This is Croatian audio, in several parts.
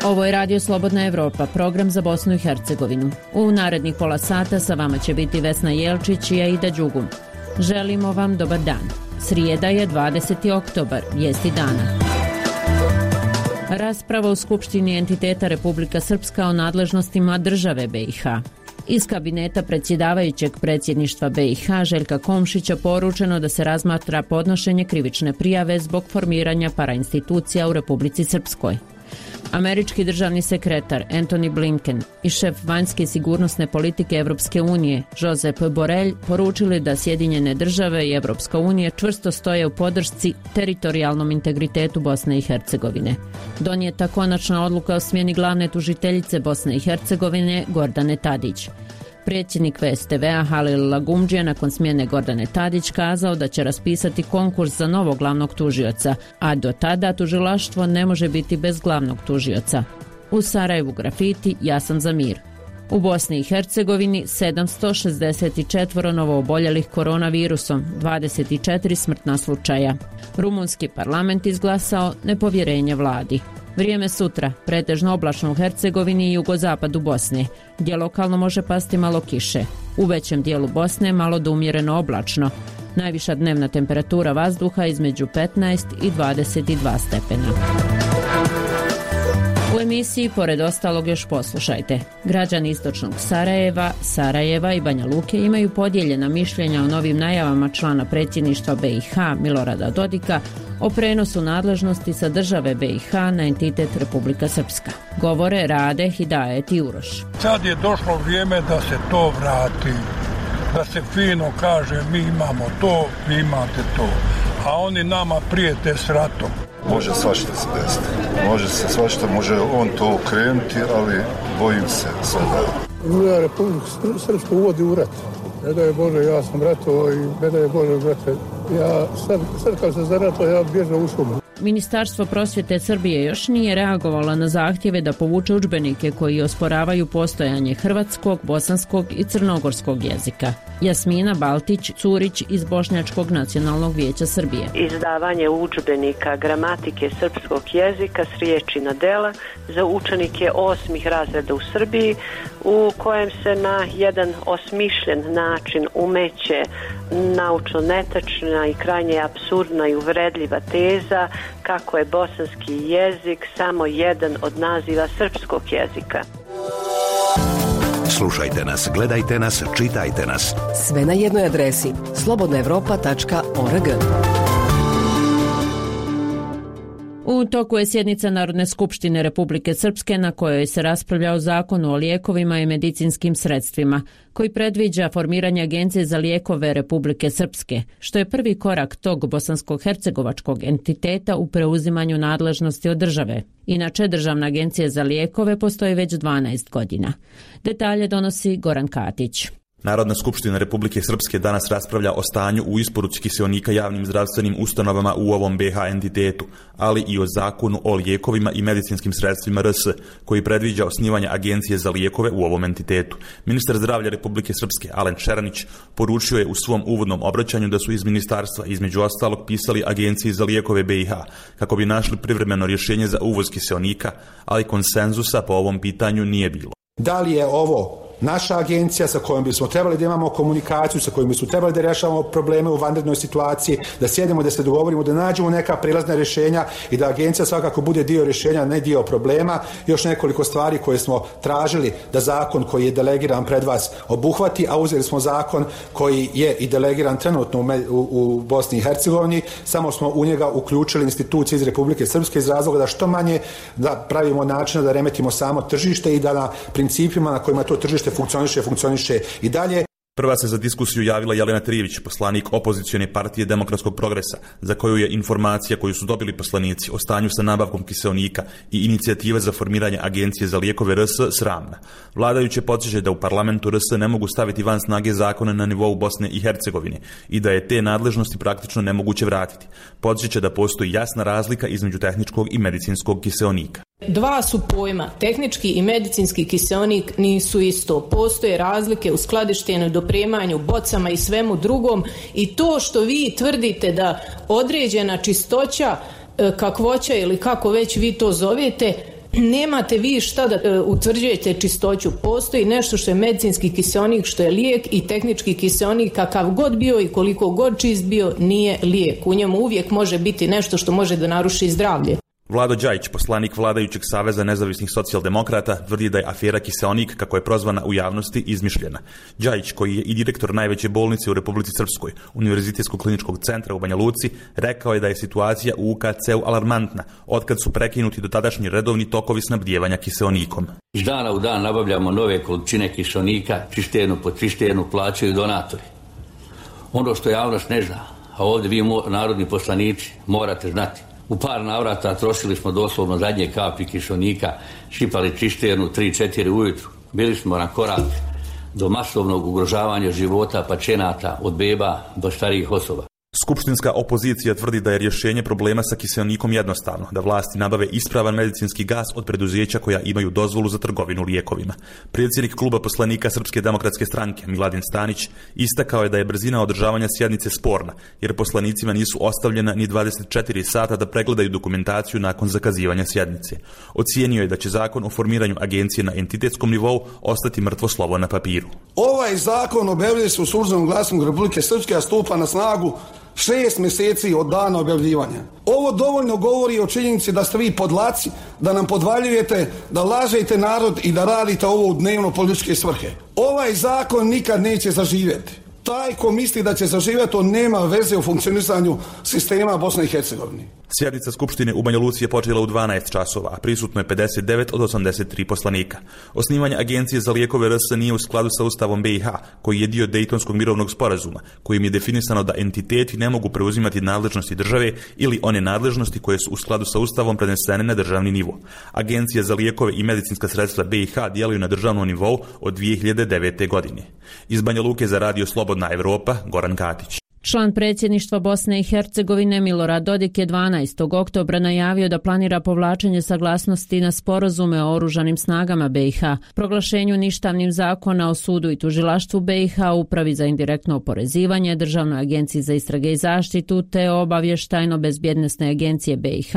Ovo je Radio Slobodna Evropa, program za Bosnu i Hercegovinu. U narednih pola sata sa vama će biti Vesna Jelčić i Aida Đugum. Želimo vam dobar dan. Srijeda je 20. oktobar, vijesti dana. Rasprava u Skupštini entiteta Republika Srpska o nadležnostima države BiH. Iz kabineta predsjedavajućeg predsjedništva BiH Željka Komšića poručeno da se razmatra podnošenje krivične prijave zbog formiranja parainstitucija u Republici Srpskoj. Američki državni sekretar Antony Blinken i šef vanjske sigurnosne politike Evropske unije Josep Borrell poručili da Sjedinjene države i Evropska unija čvrsto stoje u podršci teritorijalnom integritetu Bosne i Hercegovine. Donijeta konačna odluka o smjeni glavne tužiteljice Bosne i Hercegovine Gordane Tadić. Predsjednik VSTV-a Halil Lagumdžija nakon smjene Gordane Tadić kazao da će raspisati konkurs za novog glavnog tužioca, a do tada tužilaštvo ne može biti bez glavnog tužioca. U Sarajevu grafiti Ja sam za mir. U Bosni i Hercegovini 764 novooboljelih koronavirusom, 24 smrtna slučaja. Rumunski parlament izglasao nepovjerenje vladi. Vrijeme sutra, pretežno oblačno u Hercegovini i jugozapadu Bosne, gdje lokalno može pasti malo kiše. U većem dijelu Bosne malo do umjereno oblačno. Najviša dnevna temperatura vazduha između 15 i 22 stepena. U emisiji, pored ostalog, još poslušajte. Građani istočnog Sarajeva i Banja Luke imaju podijeljena mišljenja o novim najavama člana predsjedništva BiH Milorada Dodika o prenosu nadležnosti sa države BiH na entitet Republika Srpska. Govore Rade, Hidajet i Uroš. Sad je došlo vrijeme da se to vrati, da se fino kaže mi imamo to, vi imate to, a oni nama prijete s ratom. Može svašta se desiti. Može se svašta, može on to okrenuti, ali bojim se sada. Ja Republiku Srpsku uvodi u rat. Ne daj Bože, ja sam ratovao i ne daj Bože, brate. Ja sad kad se zaratovao, ja bježao u šumu. Ministarstvo prosvjete Srbije još nije reagovalo na zahtjeve da povuče udžbenike koji osporavaju postojanje hrvatskog, bosanskog i crnogorskog jezika. Jasmina Baltić-Curić iz Bošnjačkog nacionalnog vijeća Srbije. Izdavanje udžbenika gramatike srpskog jezika s riječi na dela za učenike 8. razreda u Srbiji, u kojem se na jedan osmišljen način umeće naučno netačna i krajnje apsurdna i uvredljiva teza kako je bosanski jezik samo jedan od naziva srpskog jezika. Slušajte nas, gledajte nas, čitajte nas. Sve na jednoj adresi slobodnaevropa.org. U toku je sjednica Narodne skupštine Republike Srpske na kojoj se raspravlja o zakonu o lijekovima i medicinskim sredstvima, koji predviđa formiranje Agencije za lijekove Republike Srpske, što je prvi korak tog bosansko-hercegovačkog entiteta u preuzimanju nadležnosti od države. Inače, Državna agencija za lijekove postoji već 12 godina. Detalje donosi Goran Katić. Narodna skupština Republike Srpske danas raspravlja o stanju u isporuci kiseonika javnim zdravstvenim ustanovama u ovom BiH entitetu, ali i o zakonu o lijekovima i medicinskim sredstvima RS, koji predviđa osnivanje Agencije za lijekove u ovom entitetu. Ministar zdravlja Republike Srpske, Alen Šeranić, poručio je u svom uvodnom obraćanju da su iz ministarstva između ostalog pisali Agenciji za lijekove BiH kako bi našli privremeno rješenje za uvoz kiseonika, ali konsenzusa po ovom pitanju nije bilo. Da li je ovo naša agencija sa kojom bismo trebali da imamo komunikaciju, sa kojom bismo trebali da rješavamo probleme u vanrednoj situaciji, da sjedemo, da se dogovorimo, da nađemo neka prilazna rješenja i da agencija svakako bude dio rješenja, ne dio problema. Još nekoliko stvari koje smo tražili da zakon koji je delegiran pred vas obuhvati, a uzeli smo zakon koji je i delegiran trenutno u Bosni i Hercegovini, samo smo u njega uključili institucije iz Republike Srpske iz razloga da što manje da pravimo načina da remetimo samo tržište i da na principima na kojima to tržište funkcioniše i dalje. Prva se za diskusiju javila Jelena Trijević, poslanik opozicione partije Demokratskog progresa, za koju je informacija koju su dobili poslanici o stanju sa nabavkom kiseonika i inicijative za formiranje Agencije za lijekove RS sramna. Vladajuće podsjeća da u parlamentu RS ne mogu staviti van snage zakone na nivou Bosne i Hercegovine i da je te nadležnosti praktično nemoguće vratiti. Podsjeća da postoji jasna razlika između tehničkog i medicinskog kiseonika. Dva su pojma, tehnički i medicinski kiseonik nisu isto. Postoje razlike u skladištenju, dopremanju, bocama i svemu drugom i to što vi tvrdite da određena čistoća, kakvoća ili kako već vi to zovete, nemate vi šta da utvrđujete čistoću. Postoji nešto što je medicinski kiseonik, što je lijek, i tehnički kiseonik, kakav god bio i koliko god čist bio, nije lijek. U njemu uvijek može biti nešto što može da naruši zdravlje. Vlado Đajić, poslanik vladajućeg Saveza nezavisnih socijaldemokrata, tvrdi da je afera kiseonik, kako je prozvana u javnosti, izmišljena. Đajić, koji je i direktor najveće bolnice u Republici Srpskoj, Univerzitetskog kliničkog centra u Banja Luci, rekao je da je situacija u UKC-u alarmantna, otkad su prekinuti dotadašnji redovni tokovi snabdijevanja kiseonikom. Iz dana u dan nabavljamo nove količine kiseonika, cisternu po cisternu plaćaju donatori. Ono što javnost ne zna, a ovdje vi narodni poslanici morate znati, u par navrata trošili smo doslovno zadnje kapi kiseonika, šipali cisternu 3-4 ujutru. Bili smo na korak do masovnog ugrožavanja života pacijenata od beba do starijih osoba. Skupštinska opozicija tvrdi da je rješenje problema sa kiseonikom jednostavno, da vlasti nabave ispravan medicinski gas od preduzeća koja imaju dozvolu za trgovinu lijekovima. Predsjednik kluba poslanika Srpske demokratske stranke, Miladin Stanić, istakao je da je brzina održavanja sjednice sporna, jer poslanicima nisu ostavljena ni 24 sata da pregledaju dokumentaciju nakon zakazivanja sjednice. Ocijenio je da će zakon o formiranju agencije na entitetskom nivou ostati mrtvo slovo na papiru. Ovaj zakon objavljuje se u Službenom glasniku Republike Srpske, a stupa na snagu 6 mjeseci od dana objavljivanja. Ovo dovoljno govori o činjenici da ste vi podlaci, da nam podvaljujete, da lažete narod i da radite ovo u dnevno političke svrhe. Ovaj zakon nikad neće zaživjeti. Taj ko misli da će zaživjeti, on nema veze u funkcionisanju sistema Bosne i Hercegovine. Sjednica Skupštine u Banja Luci je počela u 12 časova, a prisutno je 59 od 83 poslanika. Osnivanje agencije za lijekove RS nije u skladu sa Ustavom BiH, koji je dio Dejtonskog mirovnog sporazuma, kojim je definisano da entiteti ne mogu preuzimati nadležnosti države ili one nadležnosti koje su u skladu sa Ustavom prenesene na državni nivo. Agencija za lijekove i medicinska sredstva BiH djeluju na državnom nivou od 2009. godine. Iz Banja Luke za radio Slobodna Evropa, Goran Katić. Član predsjedništva Bosne i Hercegovine Milorad Dodik je 12. oktobra najavio da planira povlačenje saglasnosti na sporazume o oružanim snagama BiH, proglašenju ništavnim zakona o sudu i tužilaštvu BiH, upravi za indirektno oporezivanje, Državnoj agenciji za istrage i zaštitu te obavještajno-bezbjednosne agencije BiH,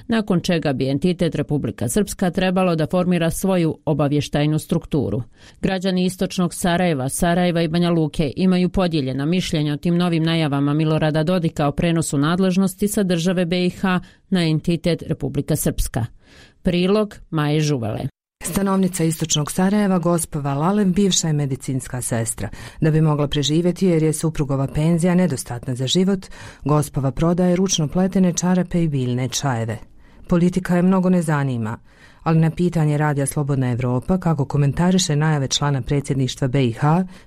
nakon čega bi entitet Republika Srpska trebalo da formira svoju obavještajnu strukturu. Građani istočnog Sarajeva, Sarajeva i Banja Luke imaju podijeljena mišljenja o tim novim najavama Milorada Dodika o prenosu nadležnosti sa države BiH na entitet Republika Srpska. Prilog Maje Žuvale. Stanovnica istočnog Sarajeva, gospa Lalev, bivša je medicinska sestra. Da bi mogla preživjeti jer je suprugova penzija nedostatna za život, gospova prodaje ručno pletene čarape i biljne čajeve. Politika je mnogo ne zanima, ali na pitanje radija Slobodna Evropa kako komentariše najave člana predsjedništva BiH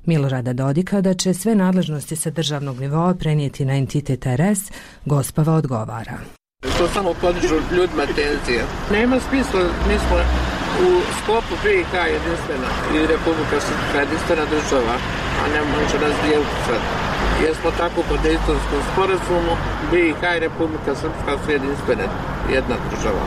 Milorada Dodika da će sve nadležnosti sa državnog nivoa prenijeti na entitet RS, gospava odgovara. To samo podižu ljudima tenzije. Nema smisla, mi smo u sklopu BiH jedinstvena i Republika Srpska jedinstvena država, a ne može nas dijeliti sad. Jer smo tako po Dejtonskom sporazumu, BiH i Republika Srpska su jedinstvene, jedna država.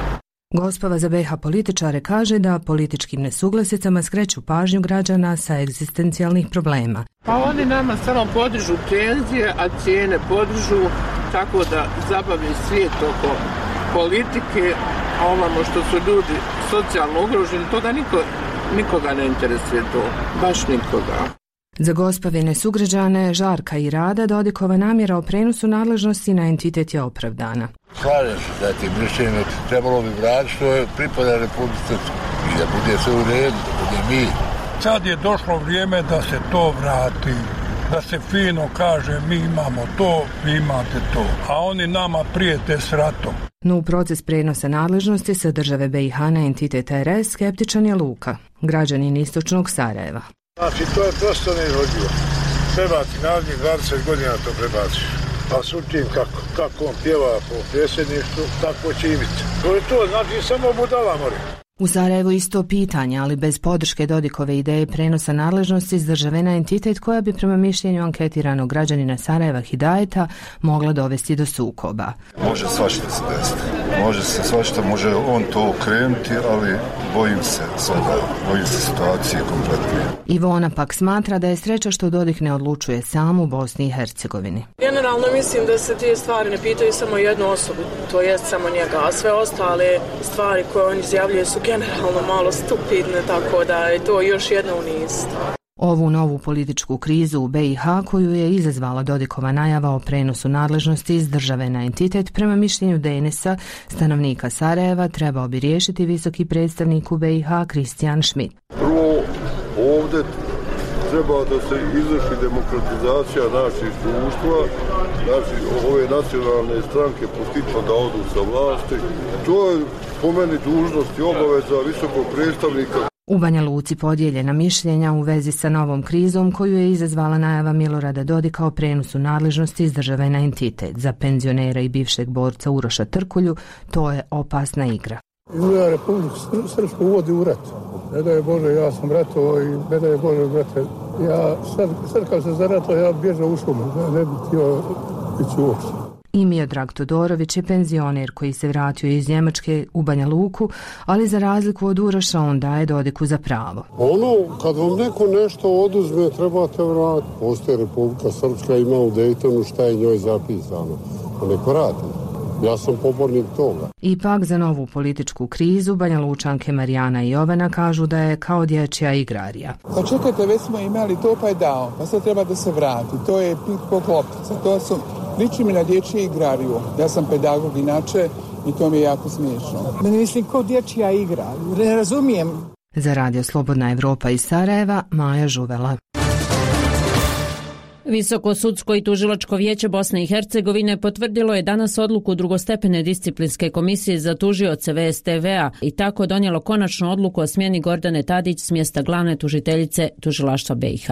Gospava za BiH političare kaže da političkim nesuglasicama skreću pažnju građana sa egzistencijalnih problema. Pa oni nama samo podižu penzije, a cijene podižu, tako da zabavi svijet oko politike, a ovamo što su ljudi socijalno ugroženi, to da nikoga ne interesuje to, baš nikoga. Za gospavine sugrađane Žarka i Rada Dodikova namjera o prenosu nadležnosti na entitet je opravdana. Slažem se da ti mišljenje trebalo bi vratiti što je pripada Republici Srpskoj i da bude sve u redu, da bude mir. Sad je došlo vrijeme da se to vrati, da se fino kaže mi imamo to, vi imate to, a oni nama prijete s ratom. No u proces prenosa nadležnosti sa države BiH na entitet RS skeptičan je Luka, građanin istočnog Sarajeva. Znači, to je prosto neizvodljivo. Trebati narednih 20 godina to prebaci. A sutim kako on pjeva po predsjedništvu, tako će i biti. To je to, znači samo budala mora. U Sarajevu isto pitanje, ali bez podrške Dodikove ideje prenosa nadležnosti s države na entitet koja bi prema mišljenju anketiranog građanina Sarajeva Hidajeta mogla dovesti do sukoba. Može svašta se desiti. Može se svašta, može on to okrenuti, ali bojim se sada, bojim se situacije kompletne. Ivona pak smatra da je sreća što Dodik ne odlučuje sam u Bosni i Hercegovini. Generalno mislim da se te stvari ne pitaju samo jednu osobu, to jest samo njega, a sve ostale stvari koje on izjavljuje su generalno malo stupidne, tako da je to još jedna u niz. Ovu novu političku krizu u BiH koju je izazvala Dodikova najava o prenosu nadležnosti iz države na entitet, prema mišljenju Denesa, stanovnika Sarajeva, trebao bi riješiti visoki predstavnik u BiH Kristijan Schmidt. Prvo, ovdje treba da se izvrši demokratizacija naših društva, znači ove nacionalne stranke postupno da odu sa vlasti. To je po meni dužnost i obaveza visokog predstavnika. U Banja Luci podijeljena mišljenja u vezi sa novom krizom koju je izazvala najava Milorada Dodika o prenosu nadležnosti iz države na entitet. Za penzionera i bivšeg borca Uroša Trkulju to je opasna igra. Izgleda Republiku Srpsku uvodi u rat. Ne da je Bože, ja sam ratovao i ne da je Bože, brate, ja sad kad se zaratao, ja bježao u šumu, ne bih htio ići uopšte. I Miodrag Todorović je penzioner koji se vratio iz Njemačke u Banja Luku, ali za razliku od Uroša on daje Dodiku za pravo. Kad vam neko nešto oduzme, trebate vratiti. Postoje Republika Srpska, ima u Dejtonu šta je njoj zapisano. Neko vrati. Ja sam pobornik toga. Ipak za novu političku krizu Banja Lučanke Marijana i Jovana kažu da je kao dječja igrarija. Pa čekajte, već smo imali to pa je dao, pa sad treba da se vrati. To je ping-pong loptica, to su... Liči mi na dječju igrariju. Ja sam pedagog inače i to mi je jako smiješno. Mislim, kao dječja igra. Ne razumijem. Za Radio Slobodna Evropa iz Sarajeva, Maja Žuvela. Visoko sudsko i tužilačko vijeće Bosne i Hercegovine potvrdilo je danas odluku drugostepene disciplinske komisije za tužioce VSTV-a i tako donijelo konačnu odluku o smjeni Gordane Tadić s mjesta glavne tužiteljice tužilaštva BiH.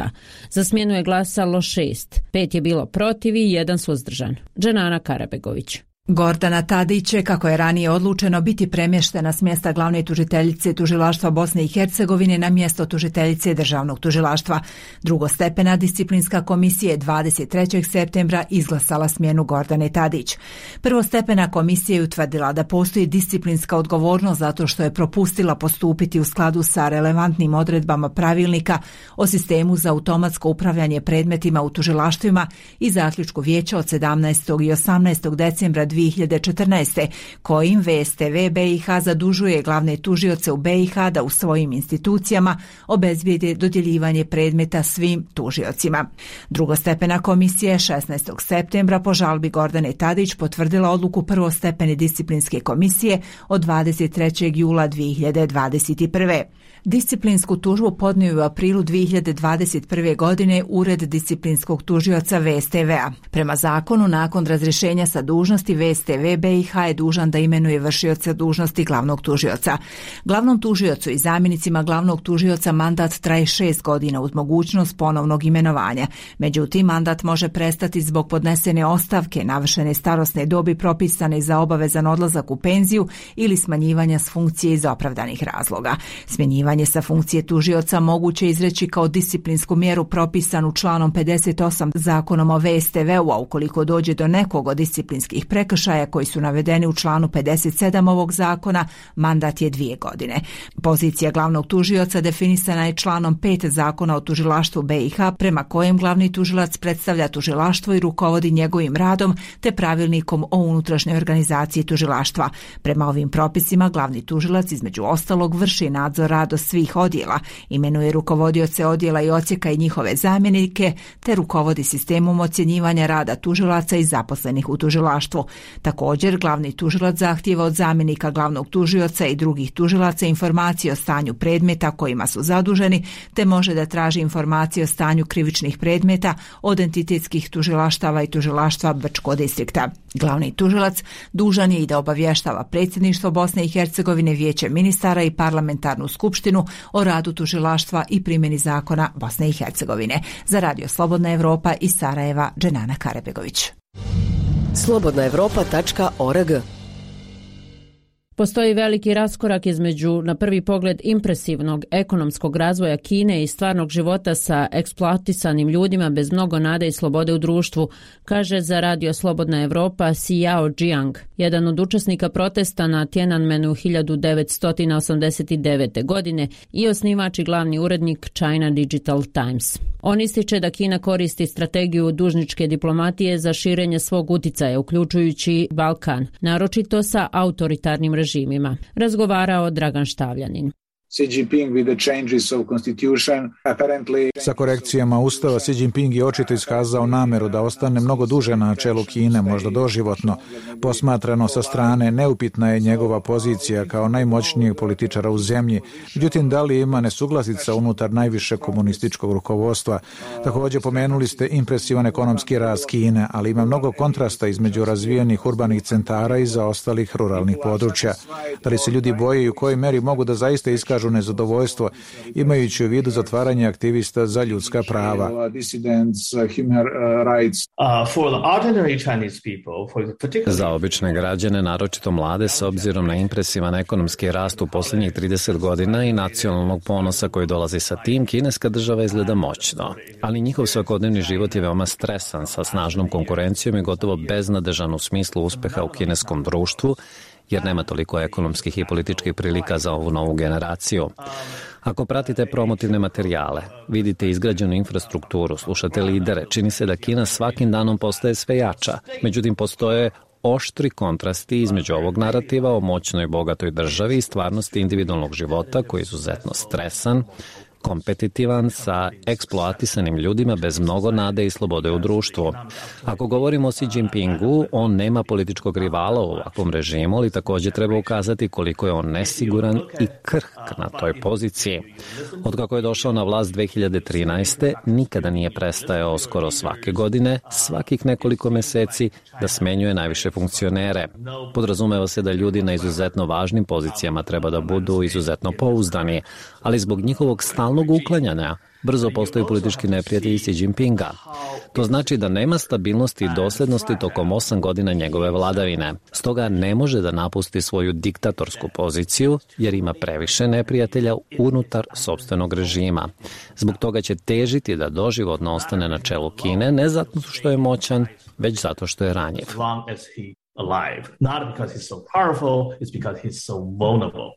Za smjenu je glasalo 6, 5 je bilo protiv i 1 suzdržan. Dženana Karabegović. Gordana Tadić će, kako je ranije odlučeno, biti premještena s mjesta glavne tužiteljice tužilaštva Bosne i Hercegovine na mjesto tužiteljice državnog tužilaštva. Drugostepena disciplinska komisija je 23. septembra izglasala smjenu Gordane Tadić. Prvostepena komisija je utvrdila da postoji disciplinska odgovornost zato što je propustila postupiti u skladu sa relevantnim odredbama pravilnika o sistemu za automatsko upravljanje predmetima u tužilaštvima i zaključku vijeća od 17. i 18. decembra 2014. kojim VSTV BiH zadužuje glavne tužioce u BiH da u svojim institucijama obezbijede dodjeljivanje predmeta svim tužiocima. Drugostepena komisija 16. septembra po žalbi Gordane Tadić potvrdila odluku prvostepene disciplinske komisije od 23. jula 2021. Disciplinsku tužbu podnio u aprilu 2021. godine Ured disciplinskog tužioca VSTV-a. Prema zakonu, nakon razrješenja sa dužnosti, VSTV BiH je dužan da imenuje vršioca dužnosti glavnog tužioca. Glavnom tužiocu i zamjenicima glavnog tužioca mandat traje 6 godina uz mogućnost ponovnog imenovanja. Međutim, mandat može prestati zbog podnesene ostavke, navršene starosne dobi propisane za obavezan odlazak u penziju ili smanjivanja s funkcije iz opravdanih razloga. Smjenjivanje sa funkcije tužioca moguće izreći kao disciplinsku mjeru propisanu članom 58 Zakonom o VSTV-u, a ukoliko dođe do nekog od disciplinskih prekršaja koji su navedeni u članu 57 ovog zakona, mandat je 2 godine. Pozicija glavnog tužioca definisana je članom 5 Zakona o tužilaštvu BiH, prema kojem glavni tužilac predstavlja tužilaštvo i rukovodi njegovim radom, te pravilnikom o unutrašnjoj organizaciji tužilaštva. Prema ovim propisima glavni tužilac između ostalog vrši nadzor rada svih odjela, imenuje rukovodioce odjela i odsjeka i njihove zamjenike, te rukovodi sistemom ocjenjivanja rada tužilaca i zaposlenih u tužilaštvu. Također, glavni tužilac zahtijeva od zamjenika glavnog tužioca i drugih tužilaca informacije o stanju predmeta kojima su zaduženi, te može da traži informacije o stanju krivičnih predmeta od entitetskih tužilaštava i tužilaštva Brčkog distrikta. Glavni tužilac dužan je i da obavještava predsjedništvo Bosne i Hercegovine, vijeće ministara i parlamentarnu skupštinu o radu tužilaštva i primjeni zakona Bosne i Hercegovine. Za Radio Slobodna Evropa iz Sarajeva, Dženana Karabegović. slobodnaevropa.org Postoji veliki raskorak između, na prvi pogled, impresivnog ekonomskog razvoja Kine i stvarnog života sa eksploatisanim ljudima bez mnogo nade i slobode u društvu, kaže za Radio Slobodna Evropa Xiao Jiang, jedan od učesnika protesta na Tiananmenu 1989. godine i osnivač i glavni urednik China Digital Times. On ističe da Kina koristi strategiju dužničke diplomatije za širenje svog uticaja, uključujući Balkan, naročito sa autoritarnim režimima. Razgovarao Dragan Štavljanin. Sa korekcijama Ustava Xi Jinping je očito iskazao nameru da ostane mnogo duže na čelu Kine, možda doživotno. Posmatrano sa strane, neupitna je njegova pozicija kao najmoćnijeg političara u zemlji. Međutim, da li ima nesuglasica unutar najviše komunističkog rukovodstva? Također pomenuli ste impresivan ekonomski rast Kine, ali ima mnogo kontrasta između razvijenih urbanih centara i zaostalih ruralnih područja. Da li se ljudi boje i u kojoj meri mogu da zaista iskažu nezadovoljstvo, imajući u vidu zatvaranje aktivista za ljudska prava? Za obične građane, naročito mlade, s obzirom na impresivan ekonomski rast u posljednjih 30 godina i nacionalnog ponosa koji dolazi sa tim, kineska država izgleda moćno. Ali njihov svakodnevni život je veoma stresan, sa snažnom konkurencijom i gotovo beznadežan u smislu uspeha u kineskom društvu, jer nema toliko ekonomskih i političkih prilika za ovu novu generaciju. Ako pratite promotivne materijale, vidite izgrađenu infrastrukturu, slušate lidere, čini se da Kina svakim danom postaje sve jača. Međutim, postoje oštri kontrasti između ovog narativa o moćnoj i bogatoj državi i stvarnosti individualnog života koji je izuzetno stresan, kompetitivan, sa eksploatisanim ljudima bez mnogo nade i slobode u društvu. Ako govorimo o Xi Jinpingu, on nema političkog rivala u ovakvom režimu, ali također treba ukazati koliko je on nesiguran i krhk na toj poziciji. Otkako je došao na vlast 2013. nikada nije prestajao skoro svake godine, svakih nekoliko meseci, da smenjuje najviše funkcionere. Podrazumeva se da ljudi na izuzetno važnim pozicijama treba da budu izuzetno pouzdani, ali zbog njihovog stalnog uklanjanja brzo postaju politički neprijatelji Xi Jinpinga. To znači da nema stabilnosti i dosljednosti tokom 8 godina njegove vladavine. Stoga ne može da napusti svoju diktatorsku poziciju jer ima previše neprijatelja unutar sopstvenog režima. Zbog toga će težiti da doživotno ostane na čelu Kine, ne zato što je moćan, već zato što je ranjiv. Alive. Not because he's so powerful, it's because he's so vulnerable.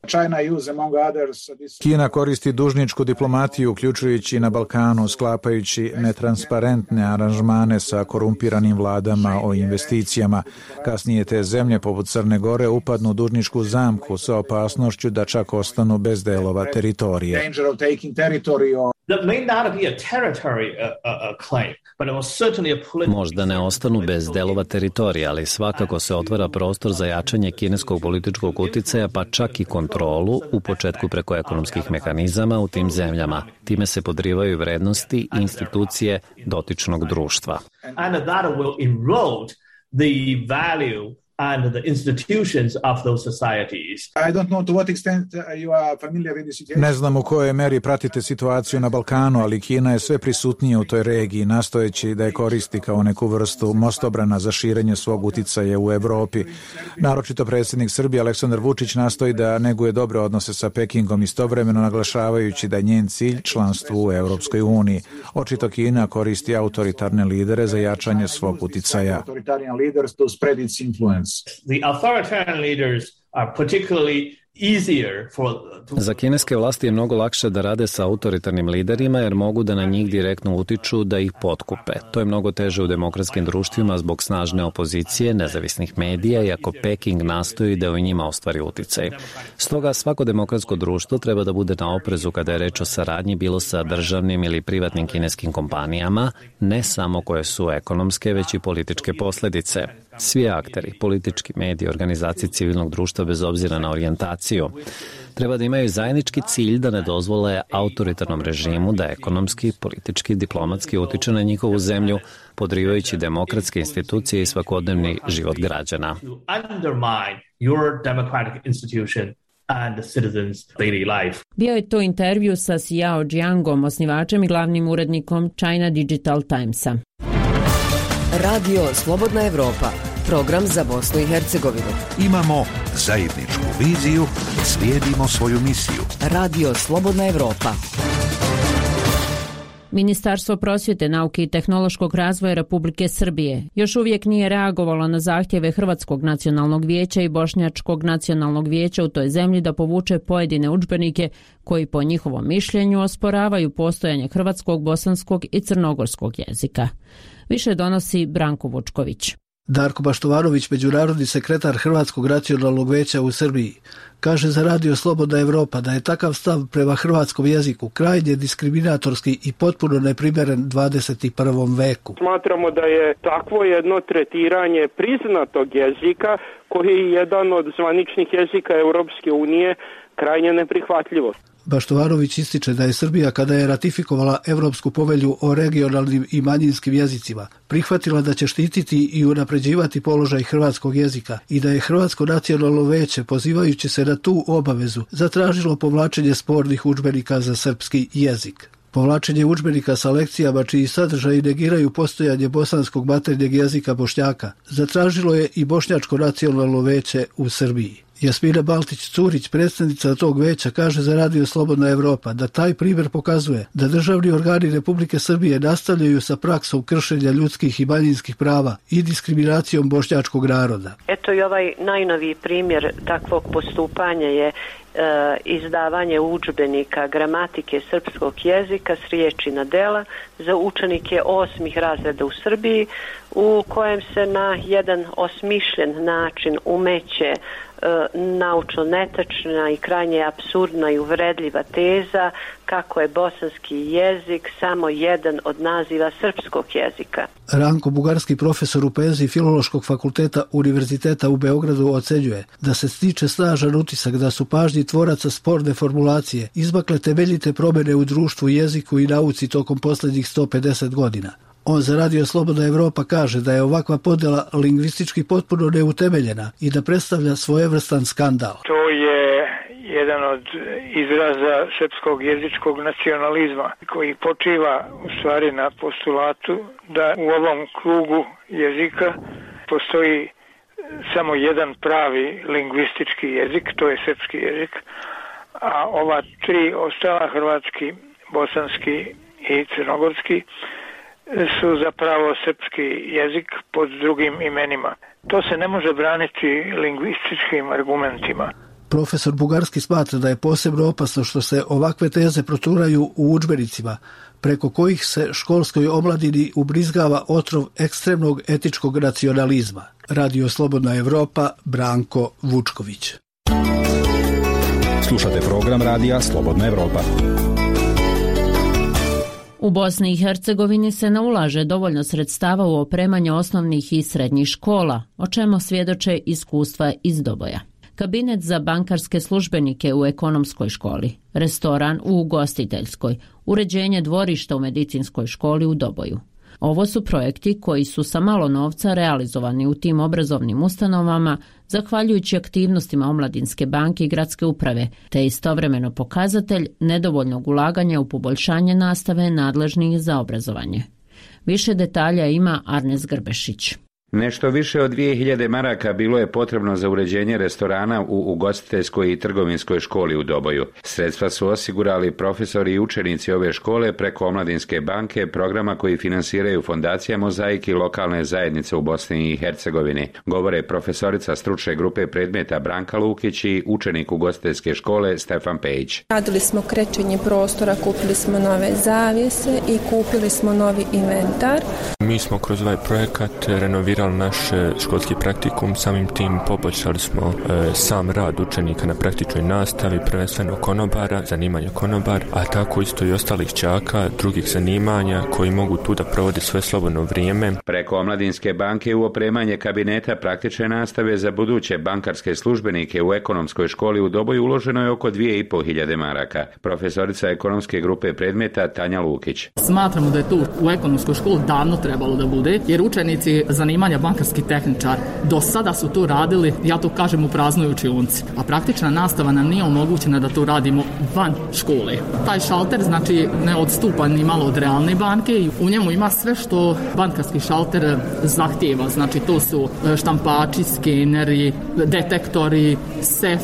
Kina koristi dužničku diplomatiju, uključujući na Balkanu, sklapajući netransparentne aranžmane sa korumpiranim vladama o investicijama. Kasnije te zemlje, poput Crne Gore, upadnu u dužničku zamku sa opasnošću da čak ostanu bez delova teritorije. Možda ne ostanu bez delova teritorija, ali svakako se otvara prostor za jačanje kineskog političkog uticaja, pa čak i kontrolu, u početku preko ekonomskih mehanizama u tim zemljama. Time se podrivaju vrednosti i institucije dotičnog društva. And the institutions of those societies. I don't know to what extent you are familiar with the situation. Ne znam u kojoj meri pratite situaciju na Balkanu, ali Kina je sve prisutnija u toj regiji, nastojeći da je koristi kao neku vrstu mostobrana za širenje svog uticaja u Evropi. Naročito predsjednik Srbije Aleksandar Vučić nastoji da neguje dobre odnose sa Pekingom, istovremeno naglašavajući da je njen cilj članstvo u Europskoj uniji. Očito Kina koristi autoritarne lidere za jačanje svog uticaja. The authoritarian leaders are particularly easier Za kineske vlasti je mnogo lakše da rade sa autoritarnim liderima jer mogu da na njih direktno utiču da ih potkupe. To je mnogo teže u demokratskim društvima zbog snažne opozicije, nezavisnih medija, iako Peking nastoji da u njima ostvari uticaj. Stoga svako demokratsko društvo treba da bude na oprezu kada je reč o saradnji bilo sa državnim ili privatnim kineskim kompanijama, ne samo koje su ekonomske, već i političke posljedice. Svi akteri, politički mediji, organizacije civilnog društva bez obzira na orijentaciju, treba da imaju zajednički cilj da ne dozvole autoritarnom režimu da ekonomski, politički, diplomatski utiče na njihovu zemlju, podrivajući demokratske institucije i svakodnevni život građana. Bio je to intervju sa Xiao Jiangom, osnivačem i glavnim urednikom China Digital Timesa. Radio Slobodna Evropa, program za Bosnu i Hercegovinu. Imamo zajedničku viziju, slijedimo svoju misiju. Radio Slobodna Evropa. Ministarstvo prosvjete, nauke i tehnološkog razvoja Republike Srbije još uvijek nije reagovalo na zahtjeve Hrvatskog nacionalnog vijeća i Bošnjačkog nacionalnog vijeća u toj zemlji da povuče pojedine udžbenike koji po njihovom mišljenju osporavaju postojanje hrvatskog, bosanskog i crnogorskog jezika. Više donosi Branko Vučković. Darko Baštovanović, međunarodni sekretar Hrvatskog nacionalnog vijeća u Srbiji, kaže za Radio Slobodna Evropa da je takav stav prema hrvatskom jeziku krajnje diskriminatorski i potpuno neprimjeren 21. veku. Smatramo da je takvo jedno tretiranje priznatog jezika, koji je jedan od zvaničnih jezika Europske unije, krajnje neprihvatljivo. Baštovanović ističe da je Srbija, kada je ratifikovala Europsku povelju o regionalnim i manjinskim jezicima, prihvatila da će štititi i unapređivati položaj hrvatskog jezika i da je Hrvatsko nacionalno vijeće, pozivajući se na tu obavezu, zatražilo povlačenje spornih udžbenika za srpski jezik. Povlačenje udžbenika sa lekcijama čiji sadržaji negiraju postojanje bosanskog maternjeg jezika Bošnjaka zatražilo je i Bošnjačko nacionalno vijeće u Srbiji. Jasmina Baltić-Curić, predsjednica tog veća, kaže za Radio Slobodna Evropa da taj primjer pokazuje da državni organi Republike Srbije nastavljaju sa praksom kršenja ljudskih i manjinskih prava i diskriminacijom bošnjačkog naroda. Eto i ovaj najnoviji primjer takvog postupanja je izdavanje udžbenika gramatike srpskog jezika s riječi na dela za učenike 8. razreda u Srbiji, u kojem se na jedan osmišljen način umeće naučno netačna i krajnje apsurdna i uvredljiva teza kako je bosanski jezik samo jedan od naziva srpskog jezika. Ranko Bugarski, profesor u poeziji Filološkog fakulteta Univerziteta u Beogradu, ocenjuje da se stiče snažan utisak da su pažnji tvoraca sporne formulacije izmakle temeljite promjene u društvu, jeziku i nauci tokom posljednjih 150 godina. On za Radio Slobodna Evropa kaže da je ovakva podjela lingvistički potpuno neutemeljena i da predstavlja svojevrstan skandal. To je jedan od izraza srpskog jezičkog nacionalizma koji počiva u stvari na postulatu da u ovom krugu jezika postoji samo jedan pravi lingvistički jezik, to je srpski jezik, a ova tri ostala, hrvatski, bosanski i crnogorski, su zapravo srpski jezik pod drugim imenima. To se ne može braniti lingvističkim argumentima. Profesor Bugarski smatra da je posebno opasno što se ovakve teze proturaju u udžbenicima, preko kojih se školskoj omladini ubrizgava otrov ekstremnog etičkog nacionalizma. Radio Slobodna Evropa, Branko Vučković. Slušate program Radija Slobodna Evropa. U Bosni i Hercegovini se ne ulaže dovoljno sredstava u opremanje osnovnih i srednjih škola, o čemu svjedoče iskustva iz Doboja. Kabinet za bankarske službenike u ekonomskoj školi, restoran u ugostiteljskoj, uređenje dvorišta u medicinskoj školi u Doboju. Ovo su projekti koji su sa malo novca realizovani u tim obrazovnim ustanovama zahvaljujući aktivnostima Omladinske banke i gradske uprave, te istovremeno pokazatelj nedovoljnog ulaganja u poboljšanje nastave nadležnih za obrazovanje. Više detalja ima Arnes Grbešić. Nešto više od 2000 maraka bilo je potrebno za uređenje restorana u ugostiteljskoj i trgovinskoj školi u Doboju. Sredstva su osigurali profesori i učenici ove škole preko Omladinske banke, programa koji finansiraju fondacija Mozaik i lokalne zajednice u Bosni i Hercegovini. Govore profesorica stručne grupe predmeta Branka Lukić i učenik ugostiteljske škole Stefan Pejić. Radili smo krećenje prostora, kupili smo nove zavjese i kupili smo novi inventar. Mi smo kroz ovaj projekat renovirali naš školski praktikum, samim tim poboljšali smo sam rad učenika na praktičnoj nastavi, prvenstveno konobara, zanimanja konobar, a tako isto i ostalih đaka, drugih zanimanja koji mogu tu da provode sve slobodno vrijeme. Preko Omladinske banke u opremanje kabineta praktične nastave za buduće bankarske službenike u ekonomskoj školi u Doboju uloženo je oko 2500 maraka. Profesorica ekonomske grupe predmeta Tanja Lukić. Smatramo da je tu u ekonomskoj školi davno trebalo da bude, jer učenici zanimanja zanimanja bankarski tehničar. Do sada su to radili, ja to kažem, u praznoj učionici, a praktična nastava nam nije omogućena da to radimo van škole. Taj šalter znači ne odstupa ni malo od realne banke i u njemu ima sve što bankarski šalter zahtijeva. Znači to su štampači, skeneri, detektori, sef,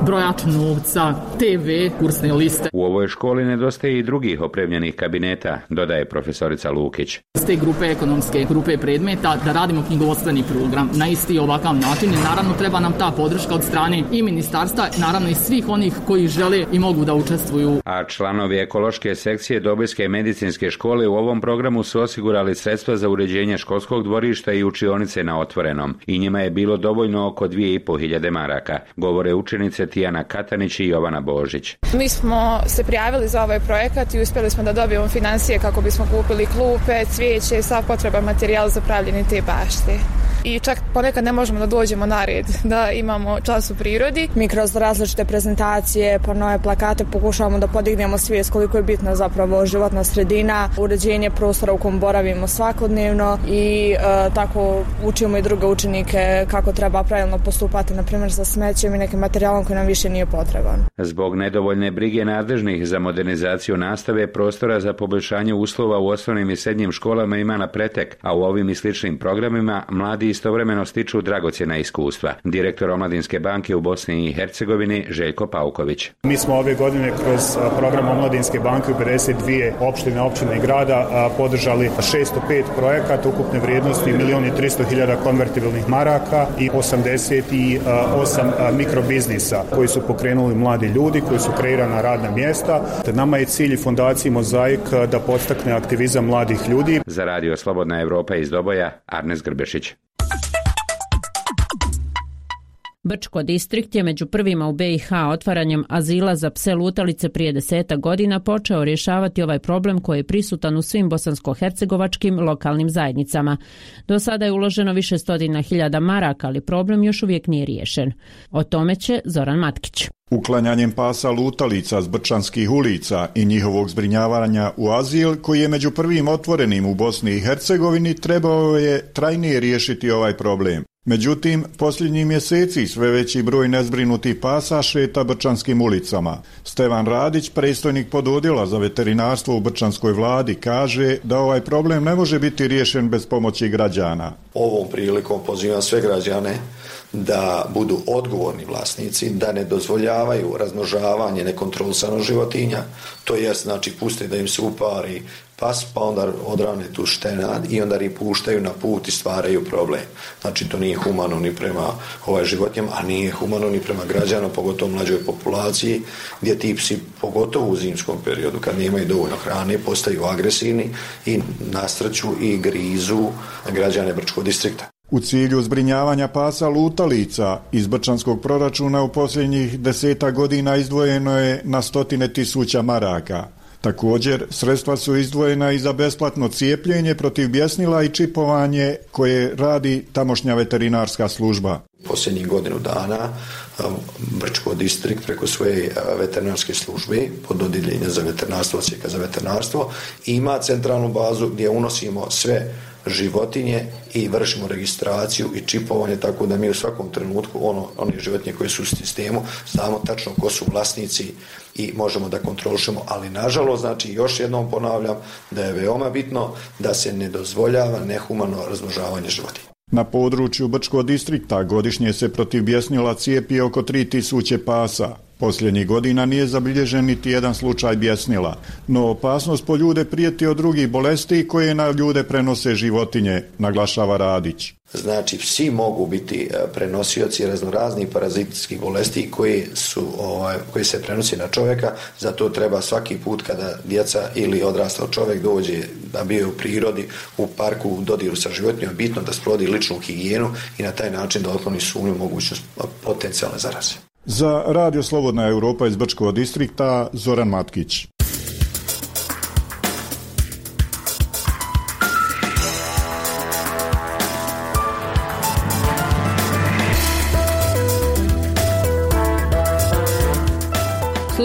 brojač novca, TV, kursne liste. U ovoj školi nedostaje i drugih opremljenih kabineta, dodaje profesorica Lukić. S te grupe ekonomske grupe predmeta da radimo knjigovodstveni program na isti ovakav način i naravno treba nam ta podrška od strane i ministarstva, naravno i svih onih koji žele i mogu da učestvuju. A članovi ekološke sekcije Dobojske medicinske škole u ovom programu su osigurali sredstva za uređenje školskog dvorišta i učionice na otvorenom i njima je bilo dovoljno oko 2500 maraka, govore učenice Tijana Katanić i Jovana Božić. Mi smo se prijavili za ovaj projekat i uspjeli smo da dobijemo financije kako bismo kupili klupe, cvijeće i sav potreban materijal za pravljenje te bašte. I čak ponekad ne možemo da dođemo na red, da imamo čas u prirodi. Mi kroz različite prezentacije, pa nove plakate pokušavamo da podignemo svijest koliko je bitna zapravo životna sredina, uređenje prostora u kom boravimo svakodnevno i tako učimo i druge učenike kako treba pravilno postupati, na primjer sa smećem i nekim materijalom koji nam više nije potreban. Zbog nedovoljne brige nadležnih za modernizaciju nastave, prostora za poboljšanje uslova u osnovnim i srednjim školama ima na pretek, a u ovim i sličnim programima mladi istovremeno stiču dragocjena iskustva. Direktor Omladinske banke u Bosni i Hercegovini Željko Pauković. Mi smo ove godine kroz program Omladinske banke u 52 općine i grada podržali 605 projekata ukupne vrijednosti 1.300.000 konvertibilnih maraka i 88 mikrobiznisa koji su pokrenuli mladi ljudi, koji su kreirana radna mjesta. Nama je cilj fondaciji Mozaik da podstakne aktivizam mladih ljudi. Za Radio Slobodna Evropa iz Doboja, Arnes Grbešić. Brčko distrikt je među prvima u BiH otvaranjem azila za pse lutalice prije 10 godina počeo rješavati ovaj problem koji je prisutan u svim bosansko-hercegovačkim lokalnim zajednicama. Do sada je uloženo više stotina hiljada maraka, ali problem još uvijek nije riješen. O tome će Zoran Matkić. Uklanjanjem pasa lutalica s brčanskih ulica i njihovog zbrinjavanja u azil, koji je među prvim otvorenim u Bosni i Hercegovini, trebao je trajnije riješiti ovaj problem. Međutim, posljednjih mjeseci sve veći broj nezbrinutih pasa šeta brčanskim ulicama. Stevan Radić, predstojnik pododjela za veterinarstvo u brčanskoj vladi, kaže da ovaj problem ne može biti riješen bez pomoći građana. Ovom prilikom pozivam sve građane da budu odgovorni vlasnici, da ne dozvoljavaju razmnožavanje nekontrolisano životinja, to jest znači puste da im se upari pas, pa onda odrane tu štenad i onda ih puštaju na put i stvaraju problem. Znači to nije humano ni prema životinjama, a nije humano ni prema građanima, pogotovo mlađoj populaciji, gdje ti psi, pogotovo u zimskom periodu, kad nemaju dovoljno hrane, postaju agresivni i nasrću i grizu građane Brčkog distrikta. U cilju zbrinjavanja pasa lutalica iz brčanskog proračuna u posljednjih 10 godina izdvojeno je na 100.000 maraka. Također, sredstva su izdvojena i za besplatno cijepljenje protiv bjesnila i čipovanje koje radi tamošnja veterinarska služba. Posljednjih godinu dana Brčko distrikt preko svoje veterinarske službe pod odjeljenja za veterinarstvo, odsjeka za veterinarstvo, ima centralnu bazu gdje unosimo sve životinje i vršimo registraciju i čipovanje, tako da mi u svakom trenutku one životinje koje su u sistemu znamo tačno ko su vlasnici i možemo da kontrolišemo, ali nažalost, znači još jednom ponavljam da je veoma bitno da se ne dozvoljava nehumano razmnožavanje životinja. Na području Brčkog distrikta godišnje se protiv bjesnila cijepi oko 3.000 pasa. Posljednjih godina nije zabilježen niti jedan slučaj bjesnila, no opasnost po ljude prijeti od drugih bolesti koje na ljude prenose životinje, naglašava Radić. Znači, psi mogu biti prenosioci raznoraznih parazitskih bolesti koji se prenosi na čovjeka, zato treba svaki put kada djeca ili odrastao čovjek dođe da bio u prirodi, u parku, u dodiru sa životinjom, bitno da sprovodi ličnu higijenu i na taj način da otkloni sumnju mogućnost potencijalne zaraze. Za Radio Slobodna Evropa iz Brčkog distrikta, Zoran Matkić.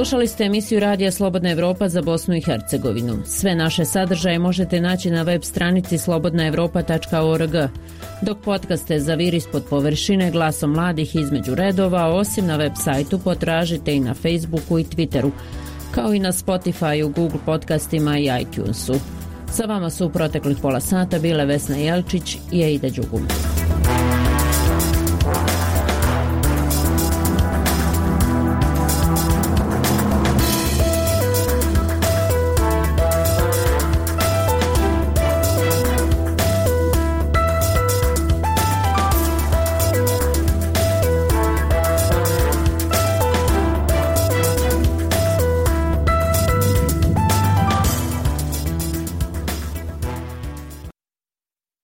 Slušali ste emisiju Radija Slobodna Evropa za Bosnu i Hercegovinu. Sve naše sadržaje možete naći na web stranici slobodnaevropa.org. Dok podcaste Zavir ispod površine glasom mladih između redova, osim na web sajtu potražite i na Facebooku i Twitteru, kao i na Spotifyu, Google podcastima i iTunesu. Sa vama su u proteklih pola sata bile Vesna Jelčić i Eida Đugum.